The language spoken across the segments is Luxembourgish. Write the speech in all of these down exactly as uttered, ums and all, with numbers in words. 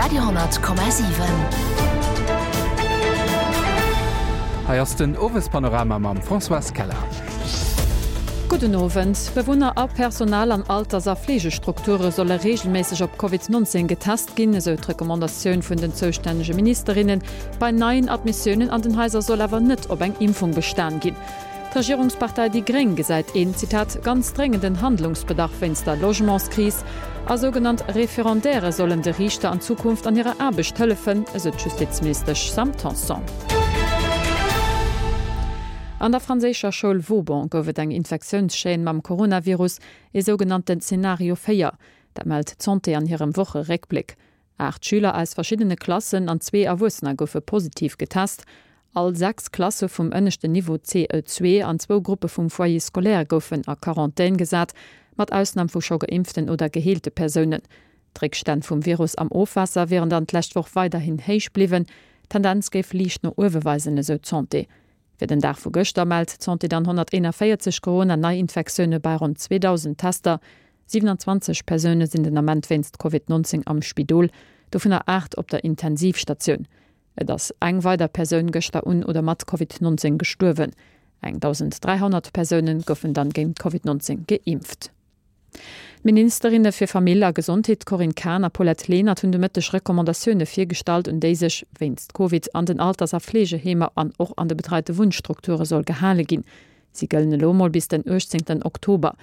Radio honnert Komma siwen. Hei ass den Owespanorama mam Françoise Keller. Gudden Owend. Bewunner a Personal an Alters a Fleegestrukture solle reegelméisseg op Covid nonzéng getest ginn, esou d'Recommandatioun vun den zoustännege Ministerinnen. Bei neien Admissiounen an den Haiser soll awer net op eng Impfung bestan ginn. D'Regierungspartei déi Gréng gesäit een, Zitat, ganz dréngenden Handlungsbedarf wéinst der Logementskris. A sougenannt Referendaire sollen de Riichter an Zukunft an hirer Aarbecht hëllefen, esou d'Justizministesch Sam Tanson. An der franséischer Schoul Vauban gouf et eng Infektiounschaîne mam Coronavirus, ee sougenannten Zenario véier. Dat mellt d'Santé an hirem Wocheréckbléck. Aacht Schüler aus verschiddene Klassen an zwee Erwuessener goufe positiv getest. All sechs Klasse vum ënneschten Niveau C E zwee an zwou Gruppe vum Foyer scolaire goufen a Quarantän gesat, mat Ausnam vu scho geimpften oder geheelte Persounen. D'Réckstänn vum Virus am Ofwaasser wieren dann d'lescht Woch weiderhin héich bliwwen, d'Tendenz géif liicht no uewe weisen, esou d'Santé. Fir den Dag vu gëschter mellt d'Santé dann honnerteenavéierzeg Corona-Neiinfektioune bei ronn zweedausend Tester. Siwenanzwanzeg Persoune sinn den Ament wéinst Covid nonzéng am Spidol, dovunner aacht op der Intensivstatioun. Et ass eng weider Persoun gëschter un oder mat Covid nonzéng gestuerwen. Eng dausend dräihonnert Persoune goufen dann géint Covid nonzéng geimpft. D'Ministerinne fir Famill a Gesondheet Corinne Cahen a Paulette Lenert hunn de Mëtteg Recommandatioune virgestallt, un déi sech wéinst Covid an den Alters a Fleegeheemer an och an de betreite Wunnstrukture soll gehale ginn. Si gëllen elo mol bis den uechtzéngten Oktober.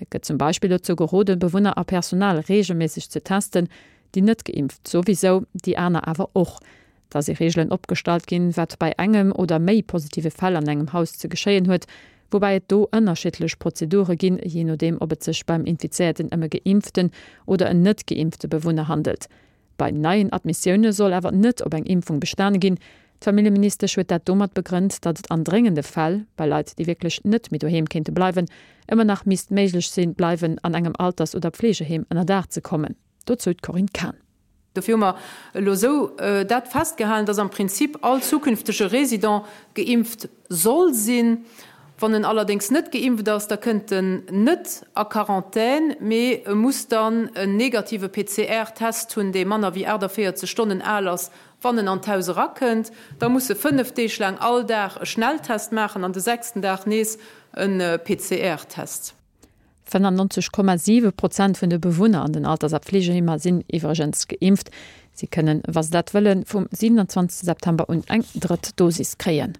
Et gëtt zum Beispill dozou geroden, Bewunner a Personal reegelméisseg ze testen, déi net geimpft souwisou, déi aner awer och. Da si Reegelen opgestallt ginn, wat bei engem oder méi positive Fäll an engem Haus ze geschéien huet, woubäi et do ënnerschiddlech Prozedure ginn, jee nodeem ob et sech beim Infizéierten ëm e geimpften oder en net geimpfte Bewunner handelt. Bei neien Admissioune soll awer net op eng Impfung bestane ginn. D'Familljeministesch huet dat domat begrënnt, datt et an dréngende Fäll, bei Leit, déi wierklech net méi doheem kéinte bleiwen, ëmmer nach misst méiglech sinn, bleiwen an engem Alters oder Pflegeheem ënnerdaach ze kommen. Dozou d'Corinne Cahen. Dofir hu mer elo esou dat festgehalen, dass am Prinzip all zukünftege Résident geimpft soll sinn. Wann en allerdéngs net geimpft ass, da kënnt en net a Quarantän, mee e muss dann en negative P C R-Test hunn, dee manner wéi achtundvierzeg Stonnen al ass, wann en an d'Haus erakënnt. Da muss e fënnef Deeg laang all Dag e Schnelltest maachen an de sechsten Dag nees e P C R-Test. fënnennonzeg Komma siwe Prozent vun de Bewunner an den Alters a Pflegeheemer sinn iwwregens geimpft. Si kënnen, wa se dat wëllen, vum siewenundzwanzegste September un eng drëtt Dosis kréien.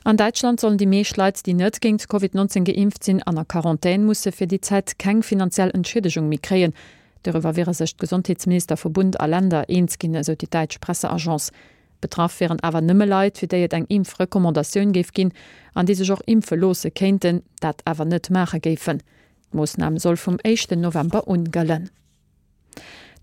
An Däitschland sollen déi meescht Leit, déi net géint Covid neunzehn geimpft sinn, an a Quarantän musse fir déi Zäit keng finanziell Entschiedegung méi kréien. Doriwwer wiere sech d'Gesondheetsminister vu Bund a Länder eens ginn, esou déi däitsch Presseagence. Betraff wären awer nëmme Leit, fir déi et eng Impfrecommandatioun géif ginn, an déi sech och impfe loosse kéinten, dat awer net maache géifen. D'Moossnam soll vum éischten November un gëllen.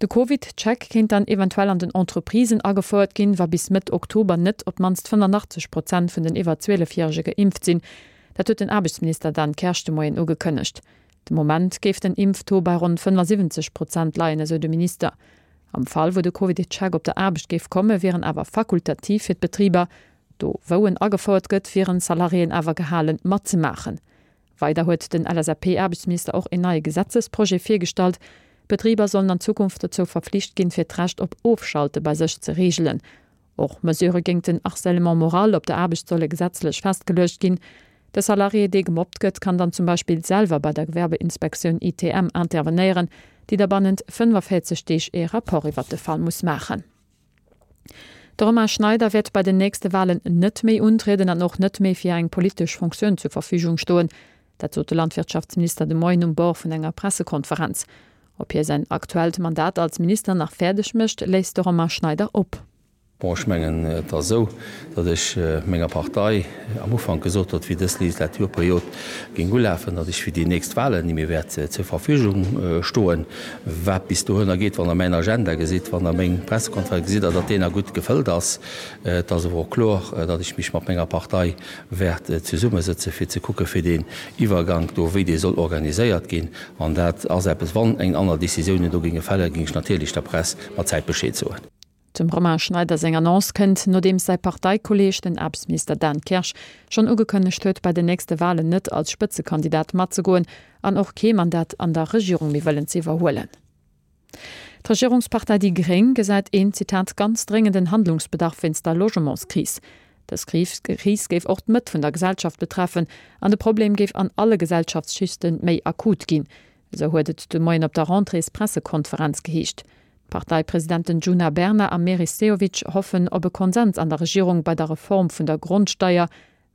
De Covid-Check kéint dann eventuell an den Entreprisen agefouert ginn, wa bis Mëtt Oktober net op d'mannst fënnenachtzeg Prozent vun den iwwer zwielefjärege geimpft sinn. Dat huet den Aarbechtsminister Dan Kersch de Moien ugekënnegt. De Moment géif den Impftaux bei ronn fënnesiwwenzeg Prozent leien, esou de Minister. Am Fall, wou de Covid-Check op der Aarbecht géif kommen, wieren awer fakultativ fir d'Betriber. Do, wou en agefouert gëtt, wieren Salariéen awer gehalen, matzemaachen. Weider huet den L S A P-Aarbechtsminister och en neie Gesetzesprojet virgestallt. Betriber sollen an Zukunft dozou verpflicht ginn, fir d'Recht op Ofschalte bei sech ze regelen. Och Mesure géint den Harcèlement moral op der Aarbecht solle gesetzlech festgeluecht ginn. De Salarié, dee gemobbt gëtt, kann dann zum Beispill selwer bei der Gewerbeinspektioun I T M intervenéieren, déi da bannent fënnefundvierzeg Deeg e Rapport iwwer de Fall muss maachen. De Romain Schneider wäert bei den nächste Wahlen net méi untrieden an och net méi fir eng politesch Funktioun zur Verfügung stoen. Dat sot de Landwirtschaftsminister de Moien um Bord vun enger Pressekonferenz. Ob hie säin aktuellt Mandat als Minister nach fäerdeg mécht, léisst de Romain Schneider op. Bon, ech mengen, et ass esou, datt ech menger Partei am Ufank gesot huet, wéi dës Legislaturperiod géing ulafen, datt ech fir déi nächst Wahlen ni méi wäert zur Verfügung stoen. Wat bis dohinner geet, wann der mäin Agenda gesitt, wann der meng Pressekonferenz gesitt, datt deen gutt gefëllt ass. Et ass awer och kloer, datt ech mich mat menger Partei wäert zesummesëtze fir ze kucke fir den Iwwergang do, wéi dee soll organiséiert ginn. An dat ass eppes, wann eng aner Decisioune do ginge fälle, ging ech natierlech der Press mat Zäit Bescheed soen. Zum Romain Schneider seng Annonce kënnt, nodeem säi Parteikolleg, den Aarbechtsminister Dan Kersch, schonn ugekënnegt huet, bei den nächste Wahlen net als Spëtzekandidat matzegoen an och kee Mandat an der Regierung méi wëllen ze iwwerhuelen. D'Regierungspartei déi Gréng gesäit een, Zitat, ganz dréngenden Handlungsbedarf wéinst der Logementskris. Dës Kris géif och d'Mëtt vun der Gesellschaft betreffen an de Problem géif an alle Gesellschaftsschichte méi akut ginn, esou huet et de Moien op der Rentréespressekonferenz geheescht. D'Parteipresidenten Djuna Bernard a Meris Sehovic hoffen op e Konsens an der Regierung bei der Reform vun der Grondsteier.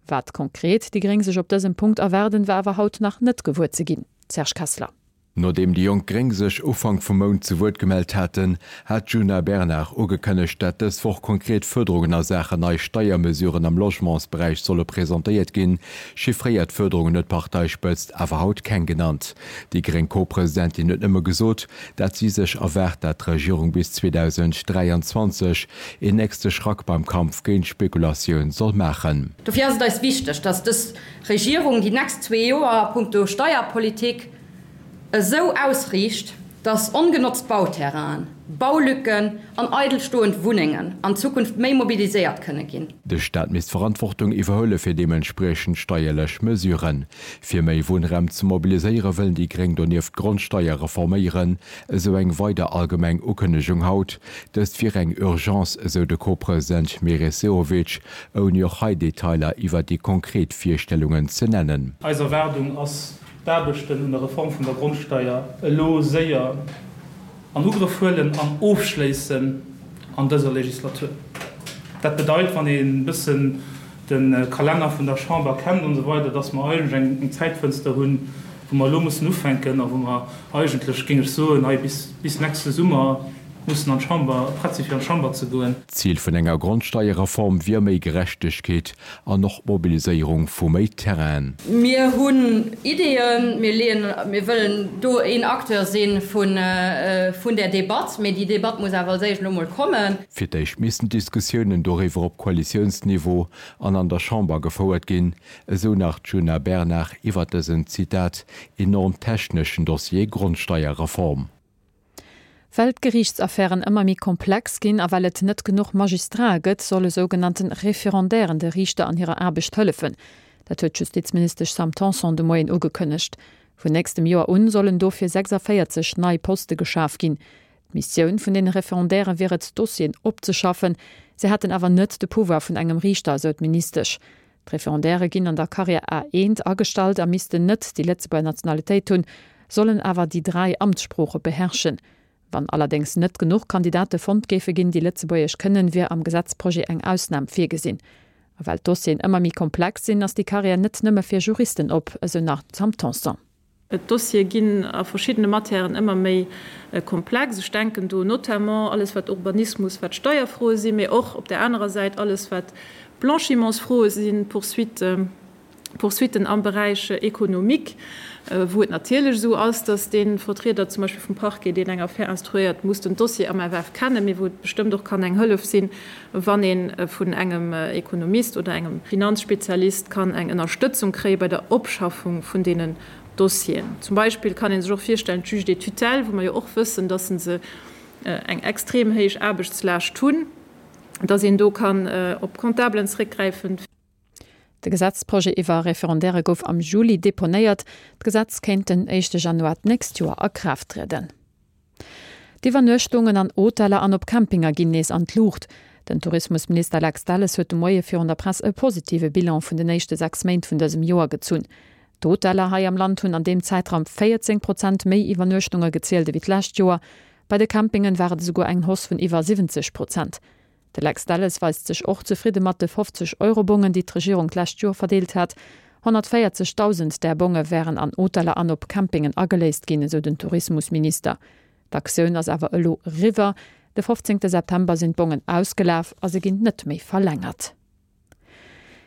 Wat konkret déi Gréng sech op dësem Punkt erwaarden, war awer haut nach net gewuer ze ginn. Serge Kessler. Nodeem déi jonk Gréng sech Ufank vum Mount zu Wuert gemellt haten, hat d'Djuna Bernard ugekënnegt, dat dës Woch konkret Fuerderungen a Saachen nei Steiermesuren am Logementsberäich solle presentéiert ginn. Chiffréiert Fuerderungen huet d'Parteispëtzt awer haut keng genannt. Déi gréng Co-Presidentin huet nëmme gesot, dat si sech erwaart, dat d'Regierung bis zweedausend dräianzwanzeg een nächste Schrack beim Kampf géint d'Spekulatioun soll maachen. Dofir ass et eis wichteg, dass dës Regierung déi nächst zwee Joer a punkto Steierpolitik esou ausriicht, dass ongenotzt Bauterrainen, Baulücken an eidelstoend Wunnengen an Zukunft méi mobiliséiert kënne ginn. De Staat misst Verantwortung iwwerhuele fir deementspriechend steierlech Mesuren. Fir méi Wunnraum ze mobiliséiere wëllen déi Gréng donieft d'Grondsteier reforméieren, esou eng weider allgemeng Ukënnegung haut. Dëst wier eng Urgence, esou de Co-President Meris Sehovic, ouni och hei Detailer iwwer déi konkret Virstellungen ze nennen. Eis Erwaardung ass, d'Aarbechten un der Reform vun der Grondsteier elo séier an Ugrëff huelen an ofschléissen an dëser Legislatur. Dat bedeit, wann een e bëssen de Kalenner vun der Chamber kennt an esou weider, dass mer eigentlech eng Zäitfënster hunn, wou mer elo mussen ufänken a wou mer eigentlech, géing ech soen, hei bis nächste Summer mussen an d'Chamber, prett si fir an d'Chamber ze goen. D'Zil vun enger Grondsteierreform wier méi Gerechtegkeet an och d'Mobiliséierung vu méi Terrainen. Mir hunn Ideeën, mir leeën, mir wëllen do een Acteur si vun där Debatt, mee déi Debatt muss awer als éischt elo mol kommen. Fir d'éischt missten d'Diskussiounen doriwwer op Koalitiounsniveau an an der Chamber gefouert ginn, esou nach d'Djuna Bernard iwwer dësen, Zitat, enorm techneschen Dossier Grondsteierreform. Well d'Geriichtsaffären ëmmer méi komplex ginn a well et net genuch Magistrate gëtt, solle sougenannte Referendairen de Riichter an hirer Aarbecht hëllefen. Dat huet d'Justizministesch Sam Tanson de Moien ugekënnegt. Vun nächstem Joer un sollen dofir sechsavéierzeg nei Poste geschaf ginn. D'Missioun vun den Referendaire wier et, Dossieren opzeschaffen, se hätten awer net de Pouvoir vun engem Riichter, esou d'Ministesch. D'Referendaire ginn an der Carrière A eent agestallt a missten net déi Lëtzebuerger Nationalitéit hunn, sollen awer déi dräi Amtssprooche beherrschen. Wann allerdéngs net genuch Kandidate fonnt géife ginn, déi Lëtzebuergesch kënnen, wier am Gesetzprojet eng Ausnam virgesinn. A well d'Dossieren ëmmer méi komplex sinn, ass déi Carrière net nëmme fir Juristen op, esou nach d'Sam Tanson. D'Dossiere ginn a verschiddene Matièren ëmmer méi komplex. Ech denken do notamment alles wat Urbanismus, wat Steierfroe sinn, mee och op där anerer Säit alles wat Blanchimentsfroe sinn, Poursuitte, Poursuitten am Beräich économique, wou et natierlech esou ass, dass dee Vertrieder zum Beispill vum Parquet, deen eng Affär instruéiert, muss den Dossier am F F kennen, mee wou et bestëmmt och kann eng Hëllef sinn, wann ee vun engem Ekonomist oder engem Finanzspezialist kann eng Ënnerstëtzung kréie bei der Opschaffung vun deenen Dossieren. Zum Beispill kann ee sech och virstellen, d'Juges des tutelles, wou mer jo och wëssen, dass se eng extrem héich Aarbechtslaascht hunn, dass een do kann op Comptabelen zréckgräifen. De Gesetzprojet iwwer Referendaire gouf am Juli deponéiert. D'Gesetz kéint den éischte Januar d'nächst Joer a Kraaft trieden. D'Iwwernuechtungen an Hoteller an op Campinger ginn nees an d'Luucht. Den Tourismusminister Lex Delles huet de Moie virun der Press e positive Bilan vun den éischte sechs Méint vun dësem Joer gezunn. D'Hoteller hei am Land hunn an deem Zäitraum véierzéng Prozent méi Iwwernuechtunge gezielt ewéi d'lescht Joer. Bei de Campingen war et esouguer eng Hausse vun iwwer siwwenzeg Prozent. De Lex Delles weist sech och zefridde mat de fofzeg Euro-Bongen, déi d'Regierung d'lescht Joer verdeelt hat. honnertvéierzegdausend där Bonge wären an Hoteller an op Campingen ageléist ginn, esou den Tourismusminister. D'Aktioun ass awer elo eriwwer. De fofzéngte September sinn d'Bongen ausgelaf a se ginn net méi verlängert.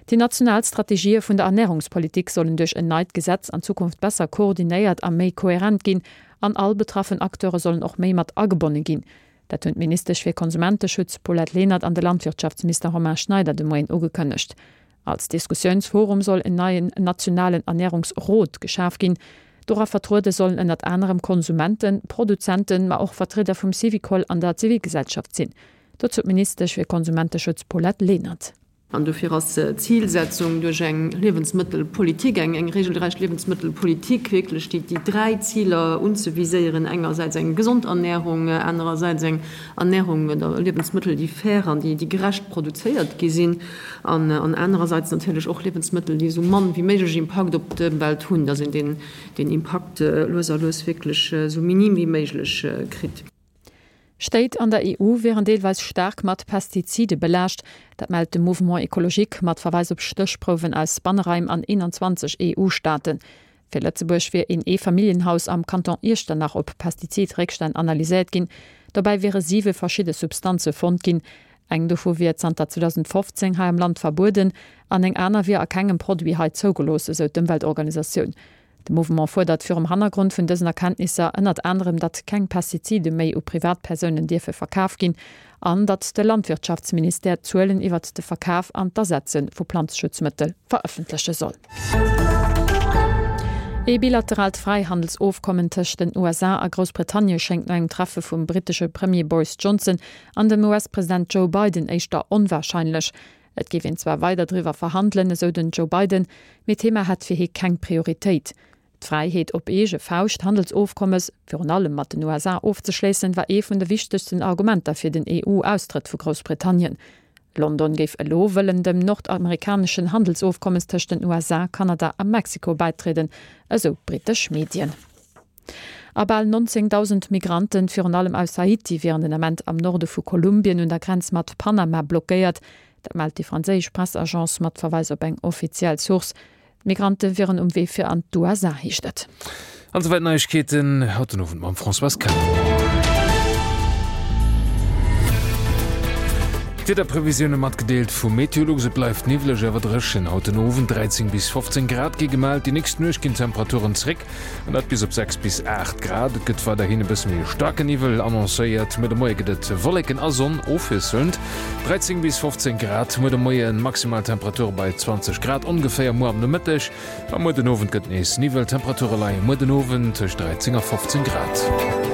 Déi national Strategië vun der Ernärungspolitik sollen duerch en neit Gesetz an Zukunft besser koordinéiert a méi kohärent ginn an all betraffen Acteure sollen och méi mat agebonne ginn. Dat hunn d'Ministesch fir Konsumenteschutz Paulette Lenert an de Landwirtschaftsminister Romain Schneider de Moien ugekënnegt. Als Diskussiounsforum soll en neien nationalen Ernärungsrot geschaf ginn. Dora vertruede sollen ënnert anerem Konsumenten, Produzenten, ma och Vertrieder vum Syvicol an der Zivilgesellschaft sinn. Dozou d'Ministesch fir Konsumenteschutz Paulette Lenert. An dofir ass d'Zilsetzung duerch eng Liewensmëttelpolitik, eng eng regelrecht Liewensmëttelpolitik, wierklech déi déi dräi Ziler unzeviséieren, engersäits eng gesond Ernährung, anerersäits eng Ernährung oder Liewensmëttel, déi fair an déi déi gerecht produzéiert gi sinn, an an anerersäits natierlech och Liewensmëttel, déi esou mann wéi méiglech Impakt op d'Ëmwelt hunn, dass een deen deen Impakt lues a lues wierklech esou minim wéi méiglech kritt. Stéit an der E U wieren deelweis staark mat Pestizide belaascht. Dat mellt de Mouvement Ecologique mat Verweis op Stéchprouwen aus Banneraim an eenanzwanzeg E U-Staaten. Fir Lëtzebuerg wier een Eefamilljenhaus am Kanton Iechternach op Pestizid-Réckstänn analyséiert ginn. Dobäi wiere siwe verschidde Substanze fonnt ginn. Eng dovu wier zanter zweedausendfofzéng hei am Land verbueden an eng aner wier a kengem Produit hei zougelooss, esou d'Ëmweltorganisatioun. De Mouvement fuerdert virum Hannergrond vun dësen Erkenntnisser ënnert anerem, datt keng Pestizide méi u Privatpersounen dierfe verkaf ginn an datt de Landwirtschaftsministère Zuelen iwwert de Verkaf an d'Asetze vu Planzeschutzmëttel verëffentleche soll. Ee bilateraalt Fräihandelsofkommen tëscht den U S A a Groussbritannie schéngt no engem Treffe vum brittesche Premier Boris Johnson an dem U S-President Joe Biden éischter onwarscheinlech. Et géif een zwar weider driwwer verhandelen, esou den Joe Biden, mee d'Thema hätt fir hie keng Prioritéit. D'Fräiheet op eege Fauscht Handelsofkommes, virun allem mat den U S A, ofzeschléissen, war ee vun de wichtegsten Argumenter fir den E U-Austrëtt vu Groussbritannien. London géif elo wëllen dem nordamerikaneschen Handelsofkommes tëscht den U S A, Kanada a Mexiko bäitrieden, esou brittesch Medien. A bal nonzéngdausend Migranten, virun allem aus Haiti, wieren den Ament am Norde vu Kolumbien un der Grenz mat Panama blockéiert. Dat mellt déi franséisch Pressagence mat Verweis op eng offiziell Source. D'Migrante wieren um Wee fir an d'U S A, heescht et. An esouwäit Neiegkeeten haut den Owend mam Françoise Keller. D'Wiederprevisioune matgedeelt vu Meteolux, Et bleift niwwleg awer dréchen haut den Owend, dräizéng bis fofzéng Grad gi gemellt. Déi nächst Nuecht ginn d'Temperaturen zréck an dat bis op sechs bis aacht Grad. Et gëtt weiderhin e bësse méi staarken Niwwel annoncéiert. Muer de Moie gëtt et Wolleken a Sonn ofwiesselnd, dräizéng bis fofzéng Grad muer de Moien, maximal Temperature bei zwanzeg Grad ongeféier muer am Nomëtteg. A muer den Owend gëtt nees Niwwel, Temperature leie muer den Owend tëscht dräizéng a fofzéng Grad.